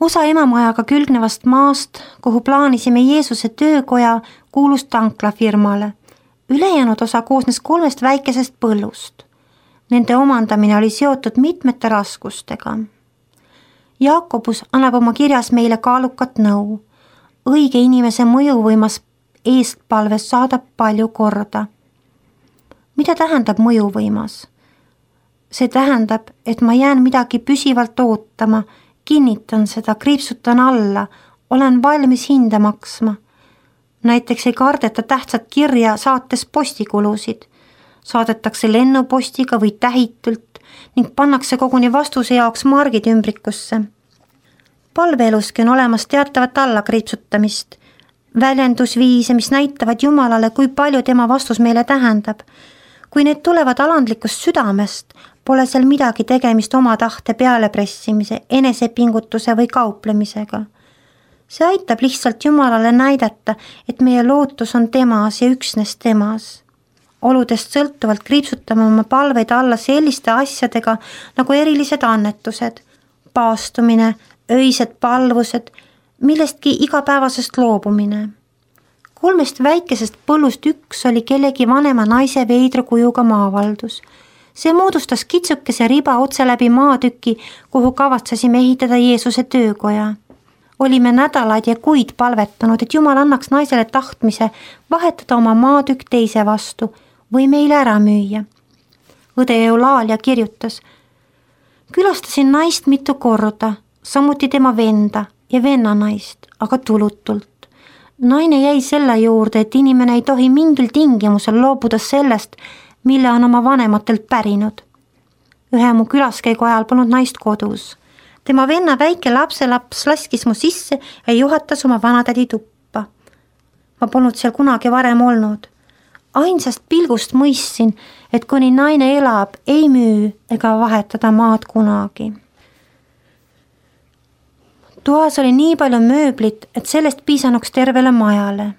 Osa emamajaga külgnevast maast, kuhu plaanisime Jeesuse töökoja, kuulus tanklafirmale. Ülejäänud osa koosnes 3 väikesest põllust. Nende omandamine oli seotud mitmete raskustega. Jaakobus annab oma kirjas meile kaalukat nõu. Õige inimese mõjuvõimas eestpalves saadab palju korda. Mida tähendab mõjuvõimas? See tähendab, et ma jään midagi püsivalt ootama, kinnitan seda, kriipsutan alla, olen valmis hinda maksma. Näiteks ei kardeta tähtsat kirja saates postikulusid. Saadetakse lennupostiga või tähitult ning pannakse koguni vastuse jaoks margid ümbrikusse. Palveeluski on olemas teatavat allakriipsutamist, väljendusviise, mis näitavad Jumalale, kui palju tema vastus meile tähendab. Kui need tulevad alandlikust südamest, pole seal midagi tegemist oma tahte pealepressimise, enesepingutuse või kauplemisega. See aitab lihtsalt Jumalale näidata, et meie lootus on temas ja üksnes temas. Oludest sõltuvalt kriipsutame oma palveid alla selliste asjadega nagu erilised annetused, paastumine, öised palvused, millestki igapäevasest loobumine. 3 väikesest põllust üks oli kellegi vanema naise veidra kujuga maavaldus. See moodustas kitsukese riba otse läbi maatüki, kuhu kavatsesime ehitada Jeesuse töökoja. Olime nädalaid ja kuid palvetanud, et Jumal annaks naisele tahtmise vahetada oma maatükk teise vastu või meile ära müüa. Õde Eulaalia kirjutas: külastasin naist mitu korda, samuti tema venda ja vennanaist, aga tulutult. Naine jäi selle juurde, et inimene ei tohi mingil tingimusel loobuda sellest, mille on oma vanematelt pärinud. Ühe mu külaskäigu ajal polnud naist kodus. Tema venna väike lapselaps laskis mu sisse ja juhatas oma vanatädi tuppa. Ma polnud seal kunagi varem olnud. Ainsast pilgust mõistsin, et kuni naine elab, ei müü ega vahetada maad kunagi. Toas oli nii palju mööblit, et sellest piisanuks tervele majale.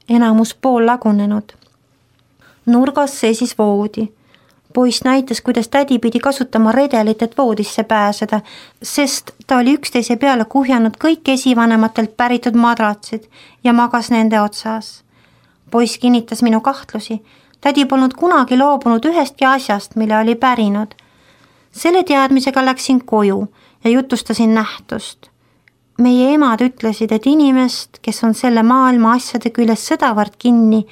Enamus pool lagunenud. Nurgas seisis voodi. Poiss näitas, kuidas tädi pidi kasutama redelit, et voodisse pääseda, sest ta oli üksteise peale kuhjanud kõik esivanematelt päritud madratsid ja magas nende otsas. Poiss kinnitas minu kahtlusi. Tädi polnud kunagi loobunud ühestki asjast, mille oli pärinud. Selle teadmisega läksin koju ja jutustasin nähtust. Meie emad ütlesid, et inimest, kes on selle maailma asjade küljes sedavõrd kinni,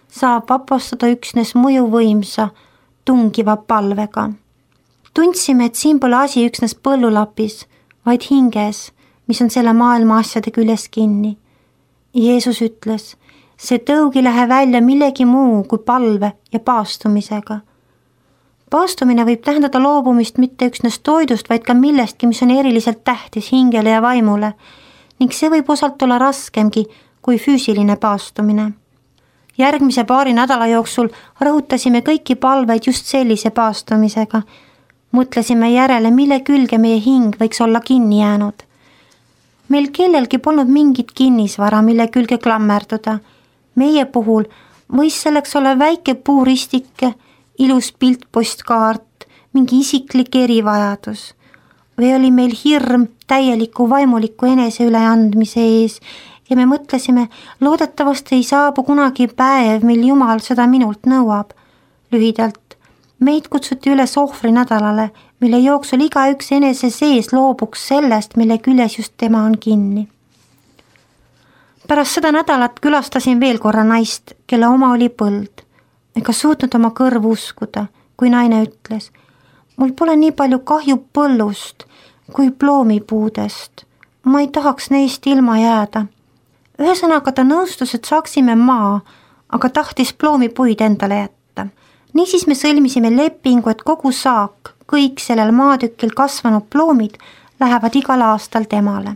saab vapastada üksnes mõjuvõimsa, tungiva palvega. Tundsime, et siin pole asi üksnes põllulapis, vaid hinges, mis on selle maailma asjade küljes kinni. Jeesus ütles, see tõug ei lähe välja millegi muu kui palve ja paastumisega. Paastumine võib tähendada loobumist mitte üksnes toidust, vaid ka millestki, mis on eriliselt tähtis hingele ja vaimule, ning see võib osalt olla raskemgi kui füüsiline paastumine. Järgmise paari nädala jooksul rõhutasime kõiki palveid just sellise paastumisega. Mõtlesime järele, mille külge meie hing võiks olla kinni jäänud. Meil kellelgi polnud mingit kinnisvara, mille külge klammerduda. Meie puhul võis selleks olla väike puuristike, ilus piltpostkaart, mingi isiklik erivajadus. Või oli meil hirm täieliku vaimuliku enese üleandmise ees ja me mõtlesime, loodetavasti ei saabu kunagi päev, mil Jumal seda minult nõuab. Lühidalt, meid kutsuti üles ohvrinädalale, mille jooksul igaüks enese sees loobuks sellest, mille küljes just tema on kinni. Pärast seda nädalat külastasin veel korra naist, kelle oma oli põld. Ega suutnud oma kõrvu uskuda, kui naine ütles, mul pole nii palju kahju põllust kui ploomipuudest. Ma ei tahaks neist ilma jääda. Ühesõnaga ta nõustus, et saaksime maa, aga tahtis ploomipuid endale jätta. Niisiis me sõlmisime lepingu, et kogu saak, kõik sellel maatükil kasvanud ploomid lähevad igal aastal temale.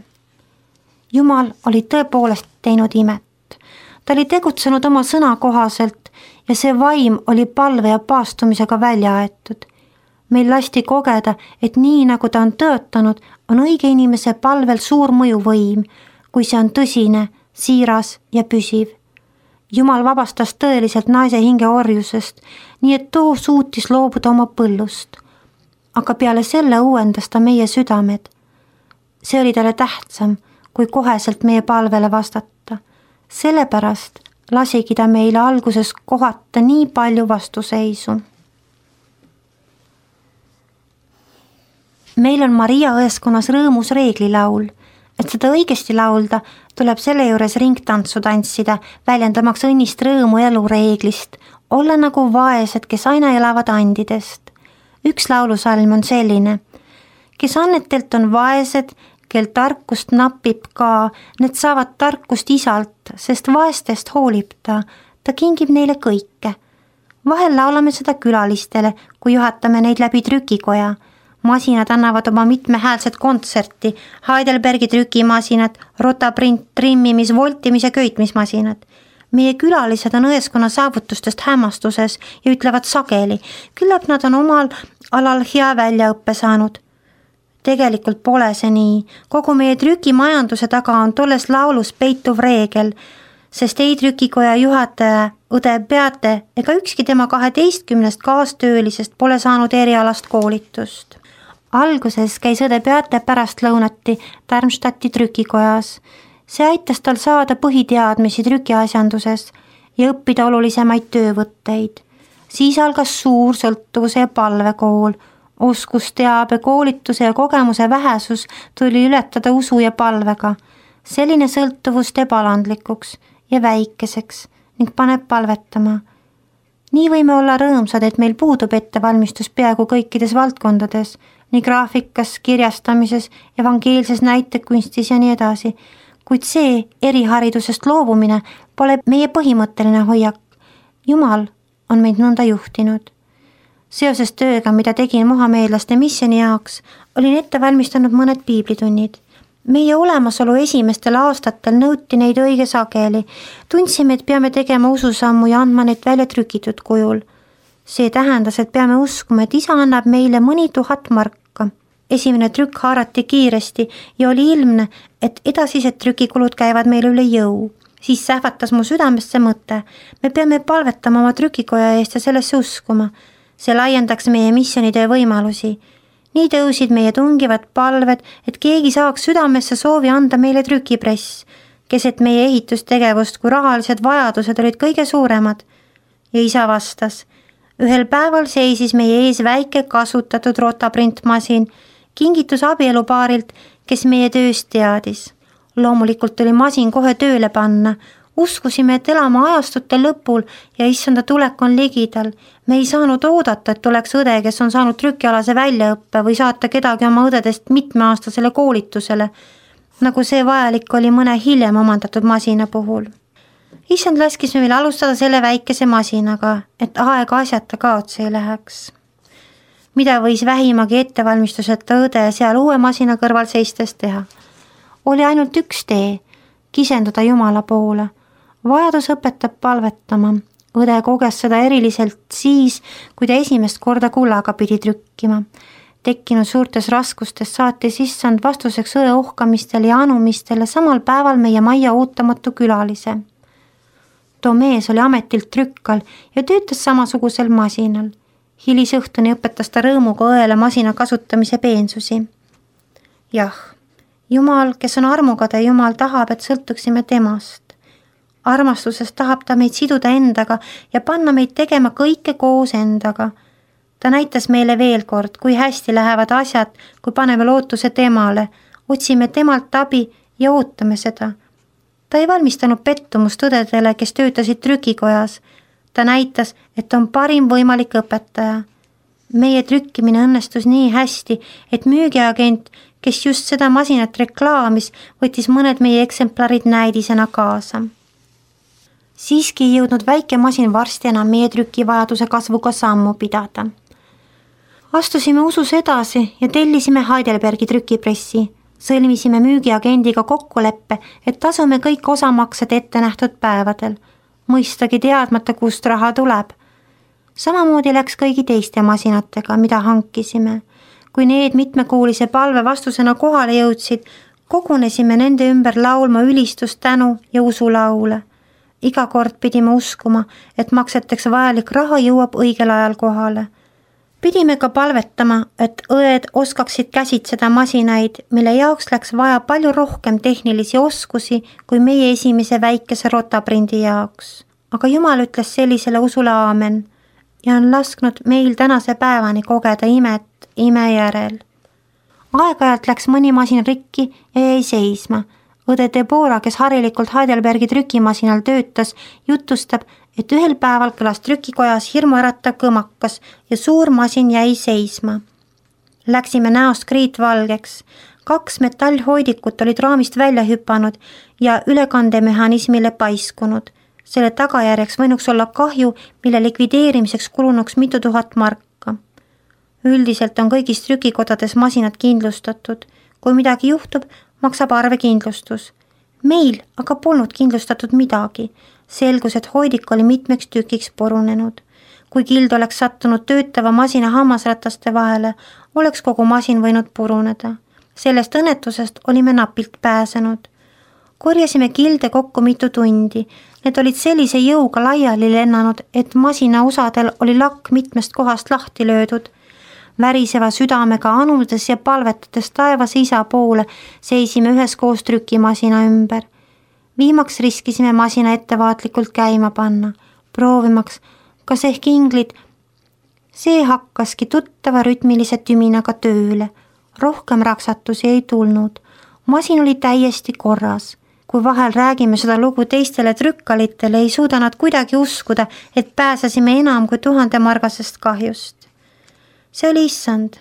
Jumal oli tõepoolest teinud imet. Ta oli tegutsenud oma sõna kohaselt ja see vaim oli palve ja paastumisega välja aetud. Meil lasti kogeda, et nii nagu ta on töötanud, on õige inimese palvel suur mõjuvõim, kui see on tõsine, siiras ja püsiv. Jumal vabastas tõeliselt naise hinge orjusest, nii et too suutis loobuda oma põllust. Aga peale selle uuendas ta meie südamed. See oli talle tähtsam, kui koheselt meie palvele vastata. Sellepärast lasigi ta meile alguses kohata nii palju vastuseisu. Meil on Maria õeskonnas rõõmus reeglilaul. Et seda õigesti laulda, tuleb selle juures ringtantsu tantsida, väljendamaks õnnist rõõmu elureeglist, olla nagu vaesed, kes aina elavad andidest. Üks laulusalm on selline. Kes annetelt on vaesed, kel tarkust napib ka, need saavad tarkust isalt, sest vaestest hoolib ta kingib neile kõike. Vahel laulame seda külalistele, kui juhatame neid läbi trükikoja. Masinad annavad oma mitmehäälset kontserti, Heidelbergi trükimasinad, rotaprint, trimmimis, voltimis ja köitmismasinad. Meie külalised on õeskonna saavutustest hämmastuses ja ütlevad sageli, küllap nad on omal alal hea väljaõppe saanud. Tegelikult pole see nii. Kogu meie trükimajanduse taga on tolles laulus peituv reegel, sest ei trükikoja juhataja, õde Beate ega ükski tema 12 kaastöölisest pole saanud erialast koolitust. Alguses käis õde Beate pärast lõunati Darmstadti trükikojas. See aitas tal saada põhiteadmisi trükiasjanduses ja õppida olulisemaid töövõtteid. Siis algas suur sõltuvuse ja palvekool. Oskusteabe, koolituse ja kogemuse vähesus tuli ületada usu ja palvega. Selline sõltuvus teeb alandlikuks ja väikeseks ning paneb palvetama. Nii võime olla rõõmsad, et meil puudub ettevalmistus peaaegu kõikides valdkondades, nii graafikas, kirjastamises, evangeelses näitekunstis ja nii edasi. Kuid see eriharidusest loobumine pole meie põhimõtteline hoiak. Jumal on meid nõnda juhtinud. Seoses tööga, mida tegin mohameedlaste missioni jaoks, olin ette valmistanud mõned piiblitunnid. Meie olemasolu esimestel aastatel nõuti neid õige sageli. Tundsime, et peame tegema ususammu ja andma neid välja trükitud kujul. See tähendas, et peame uskuma, et isa annab meile mõni 1000 marka. Esimene trükk haarati kiiresti ja oli ilmne, et edasised trükikulud käivad meile üle jõu. Siis sähvatas mu südamesse mõte. Me peame palvetama oma trükikoja eest ja sellesse uskuma. See laiendaks meie missionide võimalusi. Nii tõusid meie tungivad palved, et keegi saaks südamesse soovi anda meile trükipress, keset meie ehitustegevust, kui rahalised vajadused olid kõige suuremad. Ja isa vastas. Ühel päeval seisis meie ees väike kasutatud rotaprintmasin, kingitus abielupaarilt, kes meie tööst teadis. Loomulikult tuli masin kohe tööle panna. Uskusime, et elame ajastute lõpul ja issanda tulek on ligidal. Me ei saanud oodata, et tuleks õde, kes on saanud trükialase väljaõppe või saata kedagi oma õdedest mitmeaastasele koolitusele, nagu see vajalik oli mõne hiljem omandatud masina puhul. Issand laskis meil alustada selle väikese masinaga, et aega asjata kaotsi ei läheks. Mida võis vähimagi ettevalmistuseta õde seal uue masina kõrval seistes teha? Oli ainult üks tee, kisenduda Jumala poole. Vajadus õpetab palvetama. Õde koges seda eriliselt siis, kui ta esimest korda kullaga pidi trükkima. Tekkinud suurtes raskustes saatis issand vastuseks õe ohkamistele ja anumistele samal päeval meie majja ootamatu külalise. Too mees oli ametilt trükkal ja töötas samasugusel masinal. Hilisõhtuni õpetas ta rõõmuga õele masina kasutamise peensusi. Jah, Jumal, kes on armukade Jumal, tahab, et sõltuksime temast. Armastusest tahab ta meid siduda endaga ja panna meid tegema kõike koos endaga. Ta näitas meile veel kord, kui hästi lähevad asjad, kui paneme lootuse temale, otsime temalt abi ja ootame seda. Ta ei valmistanud pettumust õdedele, kes töötasid trükikojas. Ta näitas, et on parim võimalik õpetaja. Meie trükkimine õnnestus nii hästi, et müügiagent, kes just seda masinat reklaamis, võttis mõned meie eksemplarid näidisena kaasa. Siiski ei jõudnud väike masin varsti enam meie trükivajaduse kasvuga sammu pidada. Astusime usus edasi ja tellisime Heidelbergi trükipressi. Sõlmisime müügiagendiga kokkuleppe, et tasume kõik osamaksed ette nähtud päevadel. Mõistagi teadmata, kust raha tuleb. Samamoodi läks kõigi teiste masinatega, mida hankisime. Kui need mitmekuulise palve vastusena kohale jõudsid, kogunesime nende ümber laulma ülistust, tänu ja usulaule. Iga kord pidime uskuma, et makseteks vajalik raha jõuab õigel ajal kohale. Pidime ka palvetama, et õed oskaksid käsitseda masinaid, mille jaoks läks vaja palju rohkem tehnilisi oskusi kui meie esimese väikese rotaprindi jaoks. Aga Jumal ütles sellisele usule aamen ja on lasknud meil tänase päevani kogeda imet ime järel. Aeg-ajalt läks mõni masin rikki ja jäi seisma. Õde Deborah, kes harilikult Heidelbergi trükimasinal töötas, jutustab, et ühel päeval kõlas trükikojas hirmuäratav kõmakas ja suur masin jäi seisma. Läksime näost kriitvalgeks. 2 metallhoidikut olid raamist välja hüpanud ja ülekandemehhanismile paiskunud. Selle tagajärjeks võinuks olla kahju, mille likvideerimiseks kulunuks mitu tuhat marka. Üldiselt on kõigis trükikodades masinad kindlustatud. Kui midagi juhtub, maksab arvekindlustus. Meil aga polnud kindlustatud midagi. Selgus, et hoidik oli mitmeks tükiks purunenud. Kui kild oleks sattunud töötava masina hammasrataste vahele, oleks kogu masin võinud puruneda. Sellest õnnetusest olime napilt pääsenud. Korjasime kilde kokku mitu tundi. Need olid sellise jõuga laiali lennanud, et masina osadel oli lakk mitmest kohast lahti löödud. Väriseva südamega anudes ja palvetades taevase isa poole seisime üheskoos trükimasina ümber. Viimaks riskisime masina ettevaatlikult käima panna, proovimaks, kas ehk inglid. See hakkaski tuttava rütmilise tüminaga tööle. Rohkem raksatusi ei tulnud. Masin oli täiesti korras. Kui vahel räägime seda lugu teistele trükkalitele, ei suuda nad kuidagi uskuda, et pääsesime enam kui 1000 margasest kahjust. See oli issand.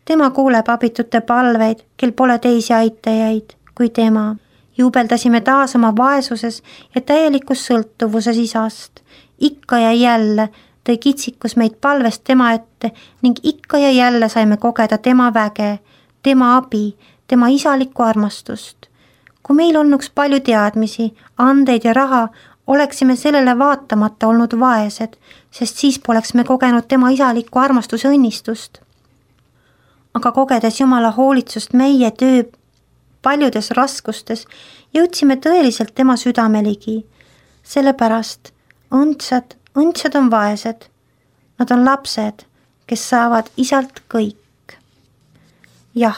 Tema kuuleb abitute palveid, kel pole teisi aitajaid kui tema. Juubeldasime taas oma vaesuses ja täielikus sõltuvuses isast. Ikka ja jälle tõi kitsikus meid palvest tema ette ning ikka ja jälle saime kogeda tema väge, tema abi, tema isalikku armastust. Kui meil olnuks palju teadmisi, andeid ja raha, oleksime sellele vaatamata olnud vaesed, sest siis poleks me kogenud tema isalikku armastuse õnnistust. Aga kogedes Jumala hoolitsust meie töö paljudes raskustes, jõudsime tõeliselt tema südame ligi. Sellepärast õndsad on vaesed. Nad on lapsed, kes saavad isalt kõik. Jah,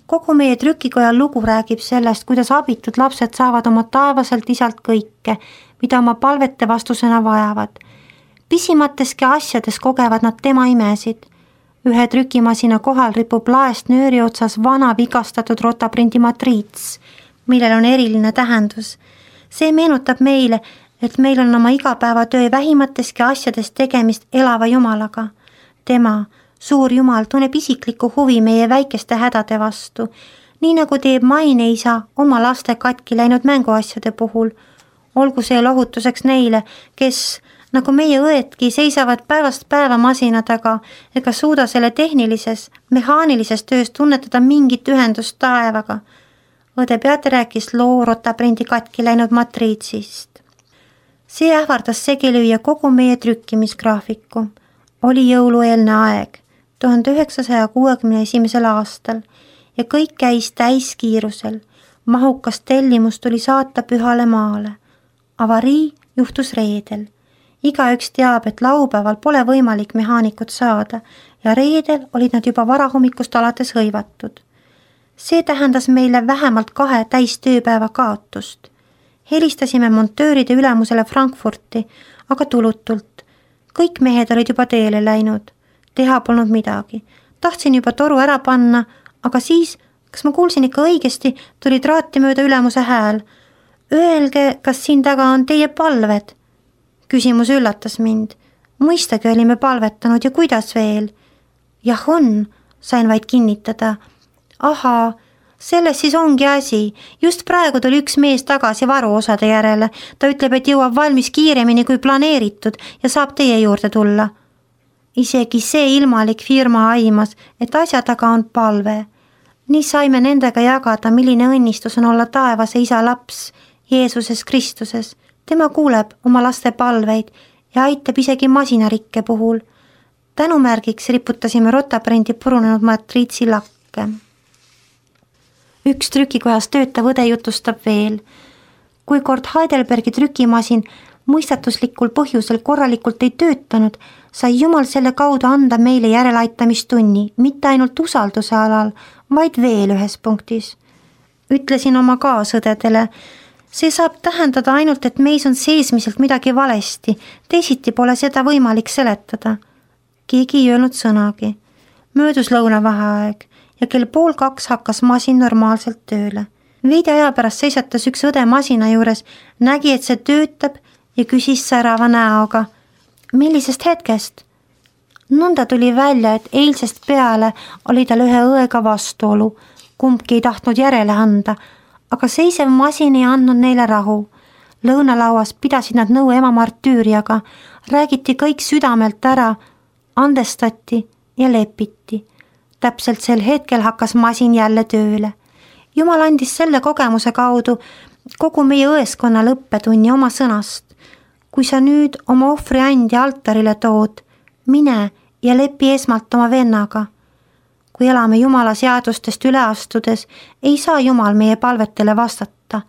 kogu meie trükikoja lugu räägib sellest, kuidas abitud lapsed saavad oma taevaselt isalt kõike, mida oma palvete vastusena vajavad. Pisimateski asjades kogevad nad tema imesid. Ühe trükimasina kohal ripub laest nööri otsas vana vigastatud rotaprindi matriits, millel on eriline tähendus. See meenutab meile, et meil on oma igapäevatöö vähimateski asjades tegemist elava Jumalaga. Tema, suur Jumal, tunneb isiklikku huvi meie väikeste hädade vastu, nii nagu teeb maineisa oma laste katki läinud mänguasjade puhul. Olgu see lohutuseks neile, kes nagu meie õedki seisavad päevast päeva masina taga ega suuda selle tehnilises, mehaanilises töös tunnetada mingit ühendust taevaga. Õde Beate rääkis loo rotaprindi katki läinud matriitsist. See ähvardas segi lüüa kogu meie trükkimisgraafiku. Oli jõulueelne aeg, 1961. aastal ja kõik käis täiskiirusel. Mahukas tellimus tuli saata Pühale maale. Avarii juhtus reedel. Igaüks teab, et laupäeval pole võimalik mehaanikut saada ja reedel olid nad juba varahommikust alates hõivatud. See tähendas meile vähemalt 2 täistööpäeva kaotust. Helistasime montööride ülemusele Frankfurti, aga tulutult. Kõik mehed olid juba teele läinud. Teha polnud midagi. Tahtsin juba toru ära panna, aga siis, kas ma kuulsin ikka õigesti, tuli traati mööda ülemuse hääl. Öelge, kas siin taga on teie palved? Küsimus üllatas mind. Mõistagi olime palvetanud ja kuidas veel? Jah on, sain vaid kinnitada. Ahaa, selles siis ongi asi. Just praegu tuli üks mees tagasi varuosade järele. Ta ütleb, et jõuab valmis kiiremini kui planeeritud ja saab teie juurde tulla. Isegi see ilmalik firma aimas, et asja taga on palve. Nii saime nendega jagada, milline õnnistus on olla taevase isa laps Jeesuses Kristuses. Tema kuuleb oma laste palveid ja aitab isegi masinarikke puhul. Tänumärgiks riputasime rotaprindi purunenud matriitsi lakke. Üks trükikojas töötav õde jutustab veel. Kui kord Heidelbergi trükimasin mõistatuslikul põhjusel korralikult ei töötanud, sai Jumal selle kaudu anda meile järeleaitamistunni, mitte ainult usalduse alal, vaid veel ühes punktis. Ütlesin oma kaasõdedele, see saab tähendada ainult, et meis on seesmiselt midagi valesti, teisiti pole seda võimalik seletada. Keegi ei öelnud sõnagi. Möödus lõunavaheaeg ja kell 1:30 hakkas masin normaalselt tööle. Veidi aja pärast seisatas üks õde masina juures, nägi, et see töötab ja küsis särava näoga. Millisest hetkest? Nõnda tuli välja, et eilsest peale oli tal ühe õega vastuolu. Kumbki ei tahtnud järele anda, aga seisev masin ei andnud neile rahu. Lõunalauas pidasid nad nõu ema martüüriaga, räägiti kõik südamelt ära, andestati ja lepiti. Täpselt sel hetkel hakkas masin jälle tööle. Jumal andis selle kogemuse kaudu kogu meie õeskonnale õppetunni oma sõnast. Kui sa nüüd oma ohvri andja altarile tood, mine ja lepi esmalt oma vennaga. Kui elame Jumala seadustest üle astudes, ei saa Jumal meie palvetele vastata.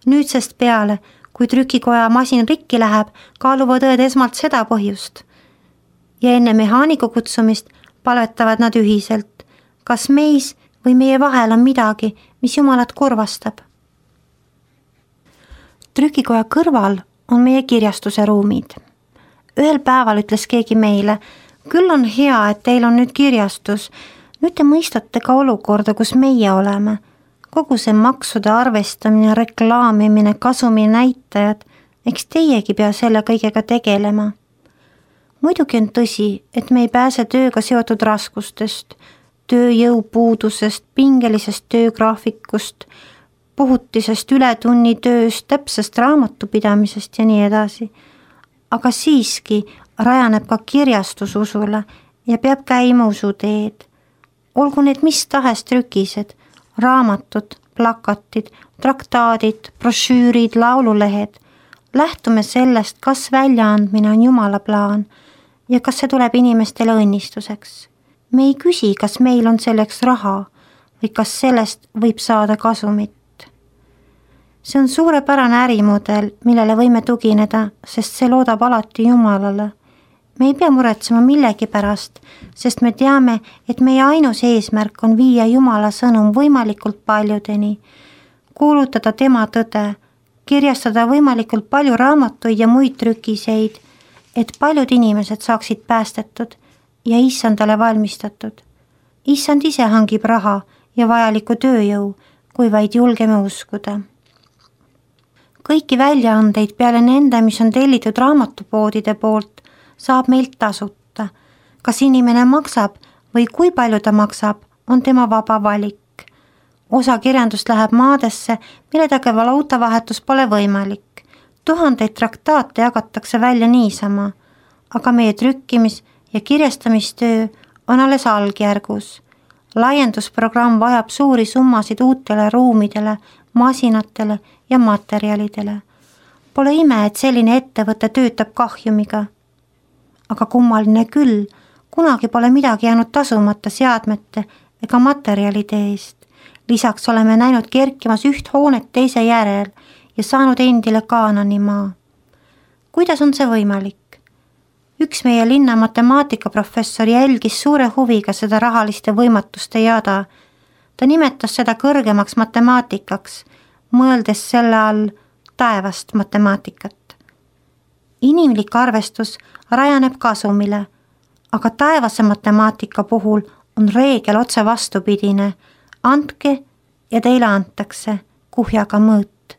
Nüüdsest peale, kui trükikoja masin rikki läheb, kaaluvad õed esmalt seda põhjust. Ja enne mehaaniku kutsumist palvetavad nad ühiselt, kas meis või meie vahel on midagi, mis Jumalat kurvastab. Trükikoja kõrval on meie kirjastuse ruumid. Ühel päeval ütles keegi meile, küll on hea, et teil on nüüd kirjastus. Nüüd te mõistate ka olukorda, kus meie oleme. Kogu see maksude arvestamine, reklaamimine, kasumi näitajad, eks teiegi pea selle kõigega tegelema. Muidugi on tõsi, et me ei pääse tööga seotud raskustest, tööjõupuudusest, pingelisest töögraafikust, puhutisest ületunnitööst, täpsest raamatupidamisest ja nii edasi. Aga siiski rajaneb ka kirjastus usule ja peab käima usuteed. Olgu need mis tahes trükised, raamatud, plakatid, traktaadid, brošüürid, laululehed. Lähtume sellest, kas väljaandmine on Jumala plaan ja kas see tuleb inimestele õnnistuseks. Me ei küsi, kas meil on selleks raha või kas sellest võib saada kasumit. See on suurepärane ärimudel, millele võime tugineda, sest see loodab alati Jumalale. Me ei pea muretsema millegi pärast, sest me teame, et meie ainus eesmärk on viia Jumala sõnum võimalikult paljudeni, kuulutada tema tõde, kirjastada võimalikult palju raamatuid ja muid trükiseid, et paljud inimesed saaksid päästetud ja issandale valmistatud. Issand ise hangib raha ja vajaliku tööjõu, kui vaid julgeme uskuda. Kõiki väljaandeid peale nende, mis on tellitud raamatupoodide poolt, saab meilt tasuta. Kas inimene maksab või kui palju ta maksab, on tema vaba valik. Osa kirjandust läheb maadesse, mille taga valuutavahetus pole võimalik. 1000 traktaate jagatakse välja niisama, aga meie trükkimis- ja kirjastamistöö on alles algjärgus. Laiendusprogramm vajab suuri summasid uutele ruumidele, masinatele ja materjalidele. Pole ime, et selline ettevõte töötab kahjumiga. Aga kummaline küll, kunagi pole midagi jäänud tasumata seadmete ega materjalide eest. Lisaks oleme näinud kerkimas üht hoonet teise järel ja saanud endile Kaanani maa. Kuidas on see võimalik? Üks meie linna matemaatikaprofessor jälgis suure huviga seda rahaliste võimatuste jada. Ta nimetas seda kõrgemaks matemaatikaks, mõeldes selle all taevast matemaatikat. Inimlik arvestus rajaneb kasumile, aga taevase matemaatika puhul on reegel otse vastupidine. Andke ja teile antakse kuhjaga mõõt.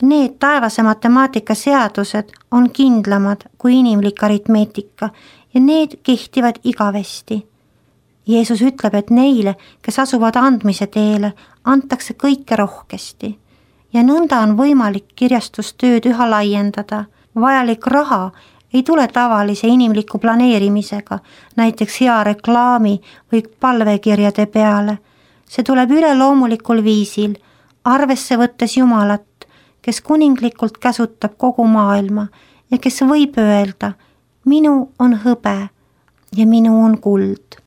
Need taevase matemaatika seadused on kindlamad kui inimlik aritmeetika ja need kehtivad igavesti. Jeesus ütleb, et neile, kes asuvad andmise teele, antakse kõike rohkesti ja nõnda on võimalik kirjastustööd üha laiendada. Vajalik raha ei tule tavalise inimliku planeerimisega, näiteks hea reklaami või palvekirjade peale. See tuleb üleloomulikul viisil, arvesse võttes Jumalat, kes kuninglikult käsutab kogu maailma ja kes võib öelda, minu on hõbe ja minu on kuld.